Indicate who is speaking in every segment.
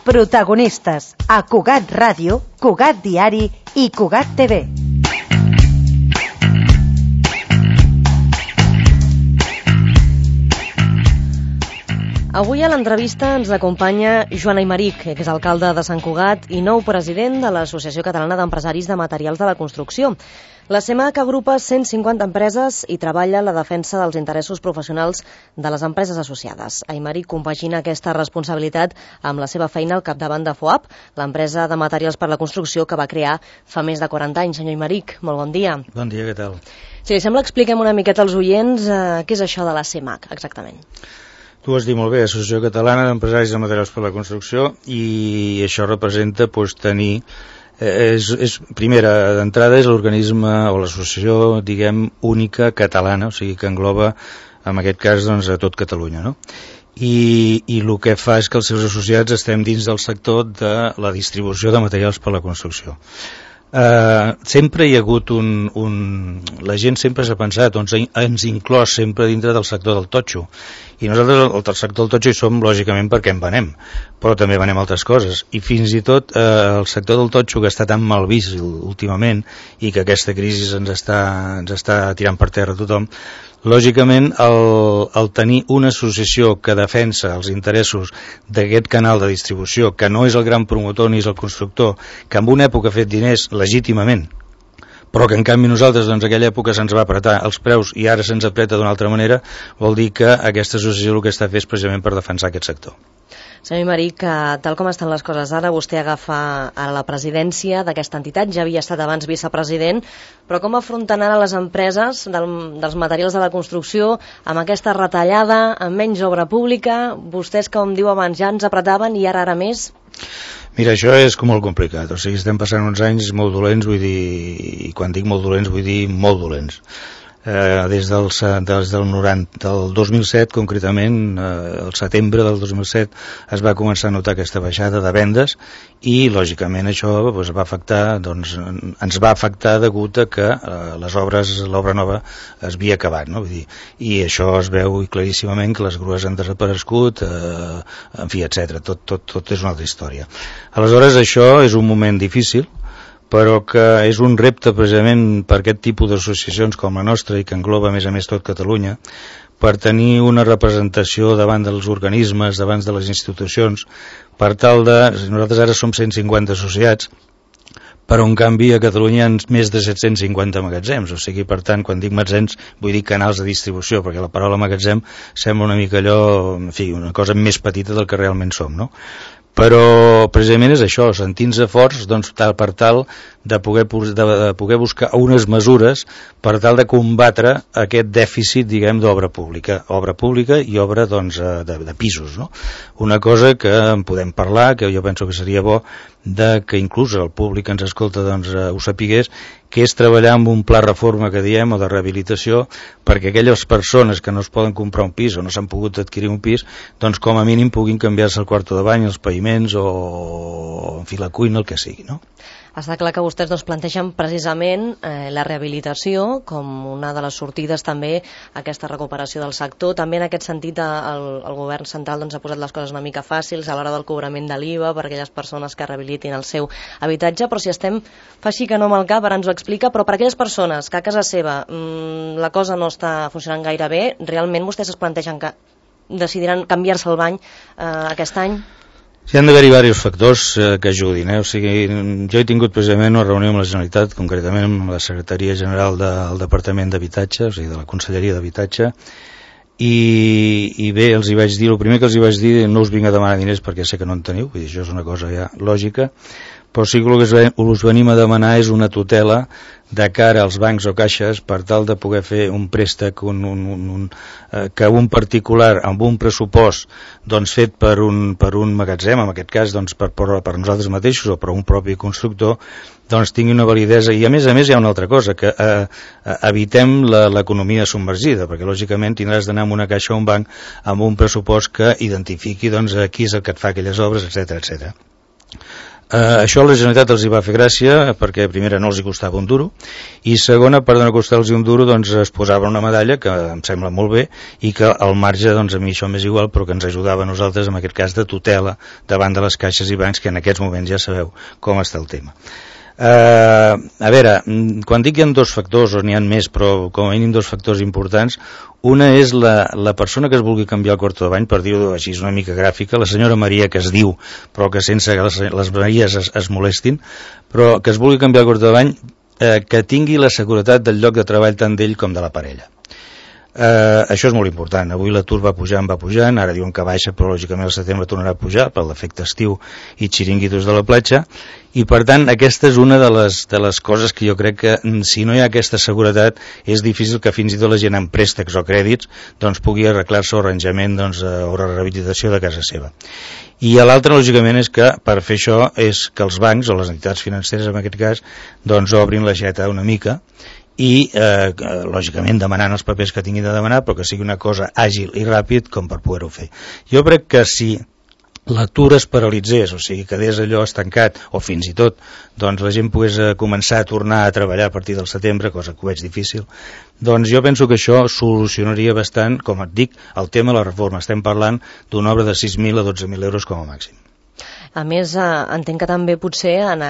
Speaker 1: Protagonistes a Cugat Ràdio, Cugat Diari i Cugat TV. Avui a l'entrevista ens acompanya Joan Aymeric, exalcalde de Sant Cugat i nou president de l'Associació Catalana d'Empresaris de Materials de la Construcció. La CEMAC agrupa 150 empreses i treballa en la defensa dels interessos professionals de les empreses associades. Aymeric compagina aquesta responsabilitat amb la seva feina al capdavant de FOAP, l'empresa de materials per la construcció que va crear fa més de 40 anys. Senyor Aymeric, molt bon dia.
Speaker 2: Bon dia, què tal?
Speaker 1: Si li sembla, expliquem una miqueta als oients què és això de la CEMAC, exactament.
Speaker 2: Tu has dit molt bé, Associació Catalana d'Empresaris de Materials per la Construcció, i això representa tenir... primera d'entrada és l'organisme o l'associació, diguem, única catalana, o sigui que engloba, en aquest cas, doncs, a tot Catalunya, no? I el que fa és que els seus associats estem dins del sector de la distribució de materials per la construcció. Sempre hi ha hagut la gent sempre s'ha pensat, ens inclòs sempre dintre del sector del totxo, i nosaltres el sector del totxo hi som lògicament perquè en venem, però també venem altres coses, i fins i tot el sector del totxo, que està tan mal vist últimament i que aquesta crisi ens està tirant per terra tothom, lògicament el tenir una associació que defensa els interessos d'aquest canal de distribució, que no és el gran promotor ni és el constructor, que en una època ha fet diners legítimament, però que en canvi nosaltres en aquella època se'ns va apretar els preus i ara se'ns apreta d'una altra manera, vol dir que aquesta associació el que està fent és precisament per defensar aquest sector.
Speaker 1: Senyor Aymeric, tal com estan les coses ara, vostè agafa a la presidència d'aquesta entitat, ja havia estat abans vicepresident, però com afronten ara les empreses dels materials de la construcció amb aquesta retallada, amb menys obra pública? Vostès, com diu abans, ja ens apretaven i ara més?
Speaker 2: Mira, això és com molt complicat, o sigui, estem passant uns anys molt dolents, vull dir, i quan dic molt dolents vull dir molt dolents. Des del 2007 concretament, el setembre del 2007 es va començar a notar aquesta baixada de vendes i lògicament això va afectar, ens va afectar degut a que l'obra nova es havia acabat, no? Vull dir, i això es veu claríssimament que les grues han desaparegut, en fi, etc. Tot és una altra història. Aleshores, això és un moment difícil, però que és un repte precisament per aquest tipus d'associacions com la nostra i que engloba a més tot Catalunya, per tenir una representació davant dels organismes, davant de les institucions, per tal de... Nosaltres ara som 150 associats, però en canvi a Catalunya hi ha més de 750 magatzems, o sigui, per tant, quan dic magatzems vull dir canals de distribució, perquè la paraula magatzem sembla una mica allò, en fi, una cosa més petita del que realment som, no? Però precisament és això, sentint-se forts per tal de poder buscar unes mesures per tal de combatre aquest dèficit, diguem, d'obra pública i obra de pisos, no? Una cosa que en podem parlar, que jo penso que seria bo que inclús el públic que ens escolta ho sapigués, que és treballar amb un pla reforma que diem o de rehabilitació perquè aquelles persones que no es poden comprar un pis o no s'han pogut adquirir un pis, doncs com a mínim puguin canviar-se el quarto de bany, els paviments o en fi la cuina, el que sigui, no?
Speaker 1: Està clar que vostès plantegen precisament la rehabilitació com una de les sortides també a aquesta recuperació del sector. També en aquest sentit el govern central ha posat les coses una mica fàcils a l'hora del cobrament de l'IVA per a aquelles persones que rehabilitin el seu habitatge, però si estem, fa així que no amb el cap, ara ens ho explica, però per a aquelles persones que a casa seva la cosa no està funcionant gaire bé, realment vostès es plantegen que decidiran canviar-se el bany aquest any?
Speaker 2: Hi han d'haver-hi diversos factors que ajudin, o sigui, jo he tingut precisament una reunió amb la Generalitat, concretament amb la Secretaria General del Departament d'Habitatge, o sigui, de la Conselleria d'Habitatge, i bé, els hi vaig dir, el primer que els hi vaig dir, no us vinc a demanar diners perquè sé que no en teniu, vull dir, això és una cosa ja lògica, però sí que el que us venim a demanar és una tutela de cara als bancs o caixes per tal de poder fer un préstec que un particular amb un pressupost fet per un magatzem, en aquest cas per nosaltres mateixos o per un propi constructor, tingui una validesa. I a més hi ha una altra cosa, que evitem l'economia submergida, perquè lògicament tindràs d'anar a una caixa o un banc amb un pressupost que identifiqui qui és el que et fa aquelles obres, etc. Això a la Generalitat els hi va fer gràcia perquè primera no els hi costava un duro i segona, per no costar-los un duro, doncs es posava una medalla que em sembla molt bé i que al marge, doncs a mi això m'és igual, però que ens ajudava a nosaltres en aquest cas de tutela davant de les caixes i bancs, que en aquests moments ja sabeu com està el tema. A veure, quan dic hi ha dos factors, o n'hi ha més, però com a mínim dos factors importants. Una és la persona que es vulgui canviar el quarto de bany, per dir-ho així una mica gràfica, la senyora Maria, que es diu, però que sense que les Maries es molestin, però que es vulgui canviar el quarto de bany, que tingui la seguretat del lloc de treball tant d'ell com de la parella. Això és molt important. Avui l'atur va pujant, ara diuen que baixa, però lògicament al setembre tornarà a pujar per l'efecte estiu i xiringuitos de la platja, i per tant aquesta és una de les coses que jo crec que si no hi ha aquesta seguretat és difícil que fins i tot la gent amb préstecs o crèdits doncs pugui arreglar-se o arranjament o rehabilitació de casa seva. I l'altre, lògicament, és que per fer això és que els bancs o les entitats financeres en aquest cas doncs obrin l'aixeta una mica i lògicament demanant els papers que tinguin de demanar, però que sigui una cosa àgil i ràpid com per poder-ho fer. Jo crec que si l'atur es paralitzés, o sigui, quedés allò estancat, o fins i tot doncs la gent pogués començar a tornar a treballar a partir del setembre, cosa que ho veig difícil, doncs jo penso que això solucionaria bastant, com et dic, el tema de la reforma. Estem parlant d'una obra de 6.000 a 12.000 euros com a màxim.
Speaker 1: A més, entenc que també potser en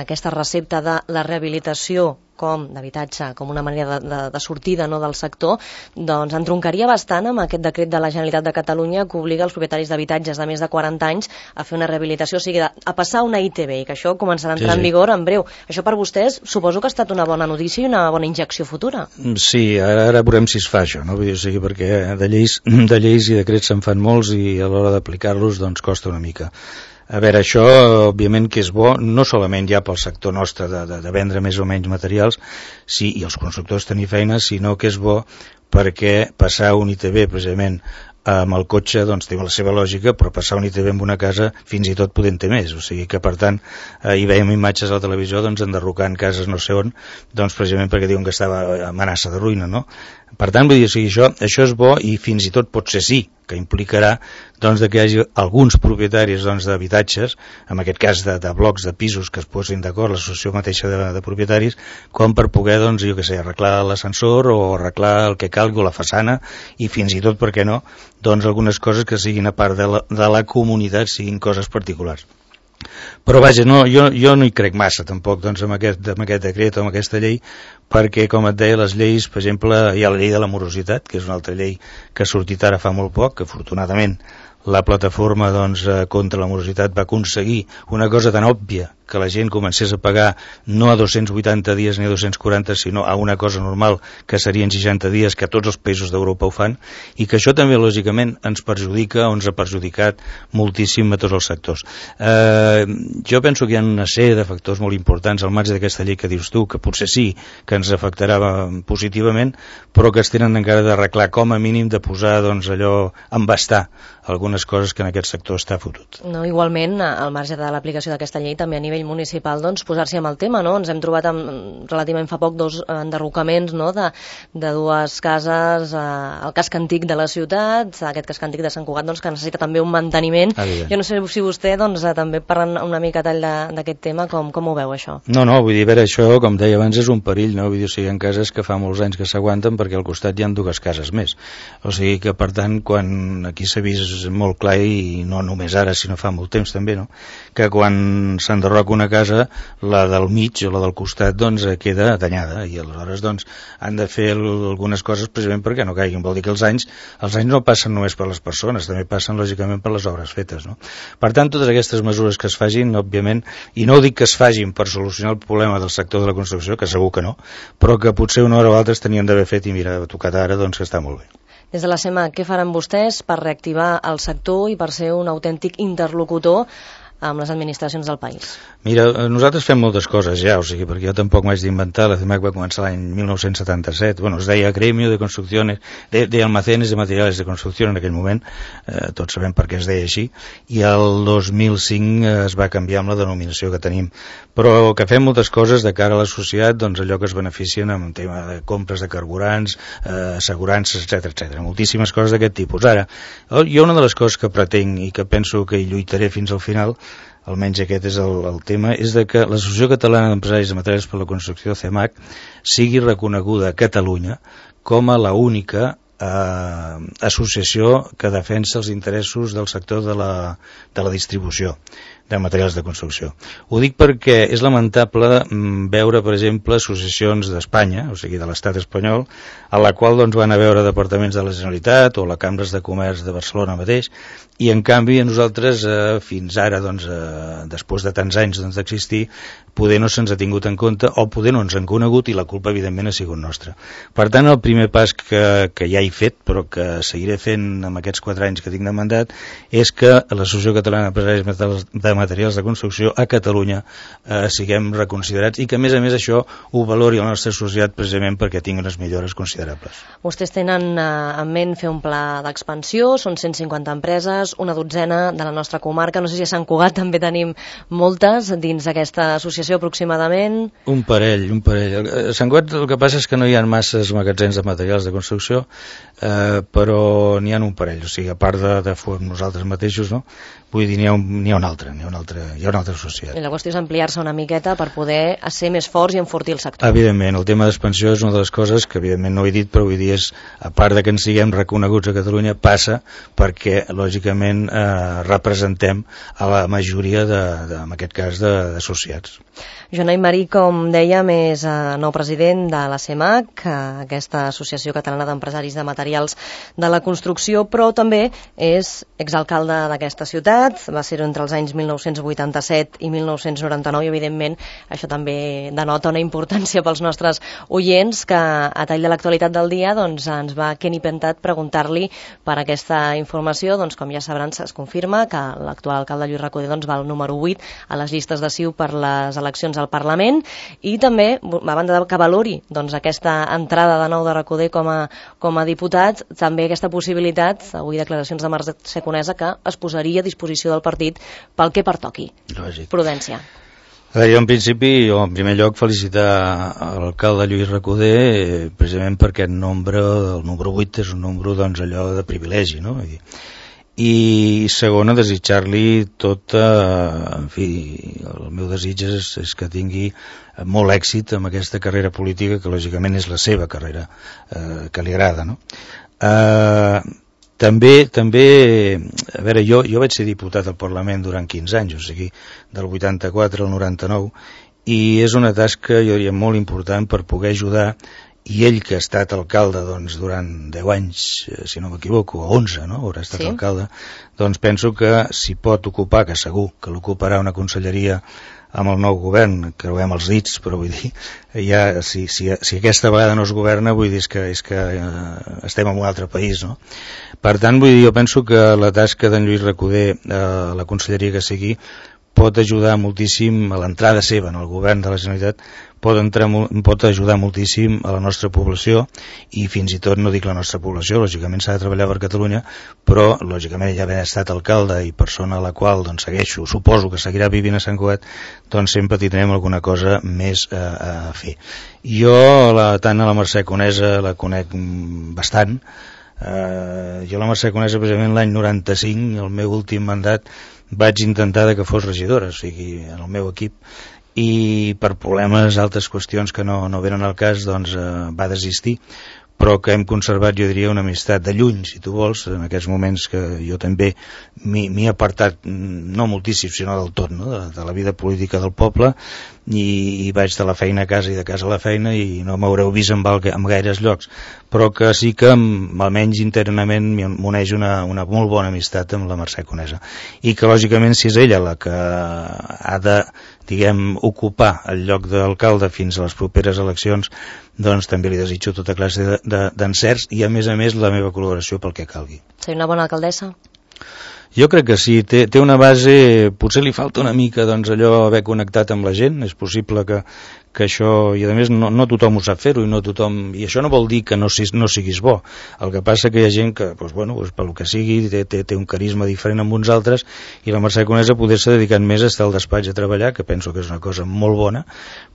Speaker 1: aquesta recepta de la rehabilitació com d'habitatge, com una manera de sortida no, del sector, doncs entroncaria bastant amb aquest decret de la Generalitat de Catalunya que obliga els propietaris d'habitatges de més de 40 anys a fer una rehabilitació, o sigui, a passar una ITB, i que això començarà a entrar en vigor en breu. Això per vostès suposo que ha estat una bona notícia i una bona injecció futura. Sí,
Speaker 2: ara veurem si es fa això, no? O sigui, perquè de lleis i decrets se'n fan molts i a l'hora d'aplicar-los doncs costa una mica. A veure, això òbviament que és bo, no solament ja pel sector nostre de vendre més o menys materials i els constructors tenir feina, sinó que és bo perquè passar un ITB precisament amb el cotxe doncs té la seva lògica, però passar un ITB amb una casa fins i tot podent ter més, o sigui que per tant hi veiem imatges a la televisió doncs enderrocant cases no sé on, doncs precisament perquè diuen que estava amenaça de ruïna, no? Per tant, vull dir, o sigui, això és bo i fins i tot pot ser sí, que implicarà doncs, que hi hagi alguns propietaris doncs, d'habitatges, en aquest cas de blocs de pisos que es posin d'acord, l'associació mateixa de propietaris, com per poder, doncs, jo què sé, arreglar l'ascensor o arreglar el que calgui o la façana i fins i tot, per què no, doncs algunes coses que siguin a part de la comunitat, siguin coses particulars. Però vaja, jo no hi crec massa tampoc doncs, amb aquest decret o amb aquesta llei, perquè com et deia, les lleis, per exemple, hi ha la llei de la morositat, que és una altra llei que ha sortit ara fa molt poc, que afortunadament la plataforma doncs, contra la morositat va aconseguir una cosa tan òbvia que la gent comencés a pagar no a 280 dies ni a 240, sinó a una cosa normal que serien 60 dies, que tots els països d'Europa ho fan, i que això també lògicament ens perjudica o ens ha perjudicat moltíssim a tots els sectors. Jo penso que hi ha una sèrie de factors molt importants al marge d'aquesta llei que dius tu, que potser sí que ens afectarà positivament, però que es tenen encara d'arreglar, com a mínim de posar doncs, allò, embastar algunes coses que en aquest sector està fotut.
Speaker 1: No, igualment, al marge de l'aplicació d'aquesta llei, també a nivell municipal, doncs, posar-s'hi amb el tema, no? Ens hem trobat relativament fa poc dos enderrocaments, no?, de dues cases al casc antic de la ciutat, aquest casc antic de Sant Cugat, doncs, que necessita també un manteniment. Jo no sé si vostè, doncs, també parlant una mica tall d'aquest tema, com ho veu, això?
Speaker 2: No, vull dir, a veure, això, com deia abans, és un perill, no? Vull dir, o sigui, hi ha cases que fa molts anys que s'aguanten perquè al costat hi ha dues cases més. O sigui que, per tant, quan aquí s'ha vist molt clar, i no només ara, sinó fa molt temps també, no?, que quan s'enderroca una casa, la del mig o la del costat doncs queda danyada, i aleshores doncs han de fer algunes coses precisament perquè no caiguin. Vol dir que els anys no passen només per les persones, també passen lògicament per les obres fetes, no? Per tant, totes aquestes mesures que es facin, òbviament, i no dic que es facin per solucionar el problema del sector de la construcció, que segur que no, però que potser una hora o altra es tenien d'haver fet, i mira, ha tocat ara, doncs que està molt bé.
Speaker 1: Des de la SEMA, què faran vostès per reactivar el sector i per ser un autèntic interlocutor amb les administracions del país?
Speaker 2: Mira, nosaltres fem moltes coses ja, o sigui, perquè jo tampoc m'haig d'inventar. La CEMAC va començar l'any 1977, bueno, es deia Gremio de Construcciones, de Almacenes de Materiales de Construcción en aquell moment, tots sabem per què es deia així, i el 2005 es va canviar amb la denominació que tenim. Però que fem moltes coses de cara a la societat, doncs allò que es beneficien amb el tema de compres de carburants, assegurances, etc. Moltíssimes coses d'aquest tipus. Ara, jo una de les coses que pretenc i que penso que hi lluitaré fins al final almenys aquest és el tema, és de que l'Associació Catalana d'Empresaris de Materials per la Construcció, CEMAC, sigui reconeguda a Catalunya com a l'única associació que defensa els interessos del sector de la distribució de materials de construcció. Ho dic perquè és lamentable veure, per exemple, associacions d'Espanya, o sigui, de l'estat espanyol, a la qual doncs, van a veure departaments de la Generalitat o la Cambres de Comerç de Barcelona mateix, i en canvi a nosaltres fins ara, doncs, després de tants anys d'existir, poder no se'ns ha tingut en compte o poder no ens han conegut i la culpa evidentment ha sigut nostra. Per tant, el primer pas que ja he fet, però que seguiré fent amb aquests 4 anys que tinc de mandat, és que l'Associació Catalana d'Empresaris de Materials de Construcció a Catalunya siguem reconsiderats i que a més això ho valori la nostra societat precisament perquè tingui unes millores considerables.
Speaker 1: Vostès tenen en ment fer un pla d'expansió, són 150 empreses, una dotzena de la nostra comarca, no sé si a Sant Cugat també tenim moltes dins d'aquesta associació aproximadament.
Speaker 2: Un parell. A Sant Cugat el que passa és que no hi ha masses magatzems de materials de construcció, però n'hi ha un parell, o sigui, a part de nosaltres mateixos, no? Vull dir, n'hi ha una altra societat.
Speaker 1: I la qüestió és ampliar-se una miqueta per poder ser més forts i enfortir el sector.
Speaker 2: Evidentment, el tema d'expansió és una de les coses que evidentment no he dit, però vull dir, a part de que ens siguem reconeguts a Catalunya, passa perquè, lògicament, representem a la majoria, en aquest cas, d'associats.
Speaker 1: Joan Aymarí, com dèiem, és nou president de la CEMAC, aquesta Associació Catalana d'Empresaris de Materials de la Construcció, però també és exalcalde d'aquesta ciutat, va ser entre els anys 1987 i 1999 i evidentment això també denota una importància pels nostres oients que a tall de l'actualitat del dia doncs, ens va Kenny Pentat preguntar-li per aquesta informació, doncs com ja sabran es confirma que l'actual alcalde Lluís Recoder doncs, va al número 8 a les llistes de CiU per les eleccions al Parlament i també, a banda que valori doncs, aquesta entrada de nou de Recoder com a diputat, també aquesta possibilitat, avui declaracions de Mercè Conesa, que es posaria a disposició del partit pel que pertoqui.
Speaker 2: Lògic.
Speaker 1: Prudència.
Speaker 2: Jo en primer lloc felicitar l'alcalde Lluís Recoder precisament perquè el número 8 és un número doncs, allò de privilegi, no? I segona, desitjar-li tot, en fi, el meu desig és que tingui molt èxit amb aquesta carrera política que lògicament és la seva carrera, que li agrada, no? També, a veure, jo vaig ser diputat al Parlament durant 15 anys, o sigui, del 84 al 99, i és una tasca, jo diria, molt important per poder ajudar, i ell que ha estat alcalde doncs, durant 10 anys, si no m'equivoco, o 11, no? Haurà estat alcalde, doncs penso que si pot ocupar, que segur que l'ocuparà una conselleria amb el nou govern, creuem els dits, però vull dir, ja, si aquesta vegada no es governa, vull dir és que estem en un altre país, no? Per tant, vull dir, jo penso que la tasca d'en Lluís Recoder, la conselleria que sigui, pot ajudar moltíssim a l'entrada seva en el govern de la Generalitat, pot ajudar moltíssim a la nostra població i fins i tot, no dic la nostra població, lògicament s'ha de treballar per Catalunya, però lògicament ja havent estat alcalde i persona a la qual doncs, segueixo, suposo que seguirà vivint a Sant Cugat, doncs sempre tindrem alguna cosa més a fer. Jo tant a la Mercè Conesa la conec bastant. Jo la Mercè Conesa precisament l'any 95, el meu últim mandat, vaig intentar que fos regidora, o sigui, en el meu equip, i per problemes, altres qüestions que no venen al cas, doncs va desistir, però que hem conservat, jo diria, una amistat de lluny, si tu vols, en aquests moments que jo també m'he apartat, no moltíssim, sinó del tot, no? de la vida política del poble, i vaig de la feina a casa i de casa a la feina i no m'haureu vist en gaires llocs, però que sí que almenys internament m'uneix una molt bona amistat amb la Mercè Conesa, i que lògicament si és ella la que ha de, diguem, ocupar el lloc d'alcalde fins a les properes eleccions, doncs també li desitjo tota classe d'encerts i a més la meva col·laboració pel que calgui.
Speaker 1: Ser una bona alcaldessa?
Speaker 2: Jo crec que sí, té una base, potser li falta una mica doncs, allò haver connectat amb la gent, és possible que això, i a més no tothom ho sap fer-ho, i això no vol dir que no siguis bo, el que passa que hi ha gent que, pel que sigui, té un carisma diferent amb uns altres, i la Mercè Conesa poder s'ha dedicat més a estar al despatx a treballar, que penso que és una cosa molt bona,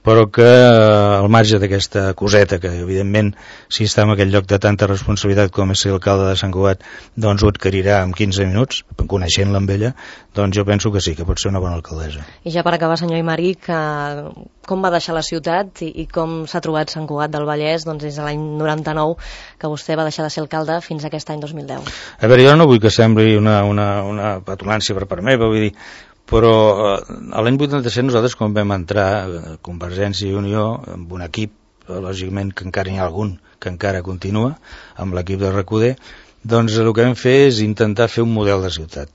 Speaker 2: però que al marge d'aquesta coseta, que evidentment si està en aquell lloc de tanta responsabilitat com és ser alcalde de Sant Cugat, doncs ho adquirirà en 15 minuts, coneixent-la amb ella, doncs jo penso que sí, que pot ser una bona alcaldessa.
Speaker 1: I ja per acabar, senyor Aymeric, com va deixar la ciutat i com s'ha trobat Sant Cugat del Vallès doncs, des de l'any 99 que vostè va deixar de ser alcalde fins a aquest any 2010?
Speaker 2: A veure, jo no vull que sembli una petulància per part meva, vull dir, però l'any 87 nosaltres quan vam entrar Convergència i Unió amb un equip, lògicament que encara n'hi ha algun que encara continua, amb l'equip de Recoder, doncs el que vam fer és intentar fer un model de ciutat.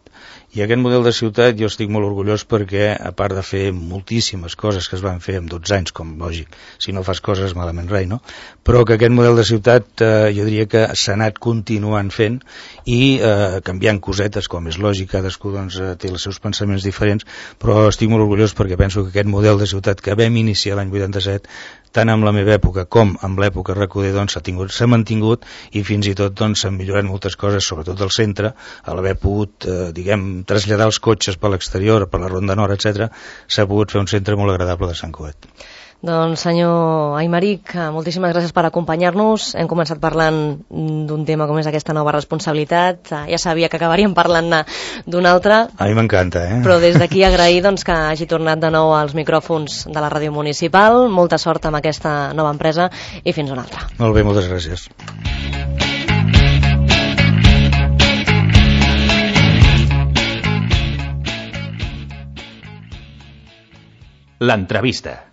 Speaker 2: I aquest model de ciutat jo estic molt orgullós perquè, a part de fer moltíssimes coses que es van fer en 12 anys, com lògic, si no fas coses malament rai, no? Però que aquest model de ciutat jo diria que s'ha anat continuant fent i canviant cosetes, com és lògic, cadascú doncs, té els seus pensaments diferents, però estic molt orgullós perquè penso que aquest model de ciutat que vam iniciar l'any 87, tant amb la meva època com amb l'època Recoder, doncs s'ha mantingut i fins i tot doncs, s'han millorat moltes coses, sobretot al centre, a l'haver pogut, traslladar els cotxes per l'exterior, per la Ronda Nord, etc., s'ha pogut fer un centre molt agradable de Sant Cugat.
Speaker 1: Doncs, senyor Aymeric, moltíssimes gràcies per acompanyar-nos. Hem començat parlant d'un tema com és aquesta nova responsabilitat. Ja sabia que acabaríem parlant d'un altre.
Speaker 2: A mi m'encanta,
Speaker 1: Però des d'aquí agrair doncs, que hagi tornat de nou als micròfons de la ràdio municipal. Molta sort amb aquesta nova empresa i fins una altra.
Speaker 2: Molt bé, moltes gràcies.
Speaker 3: L'entrevista.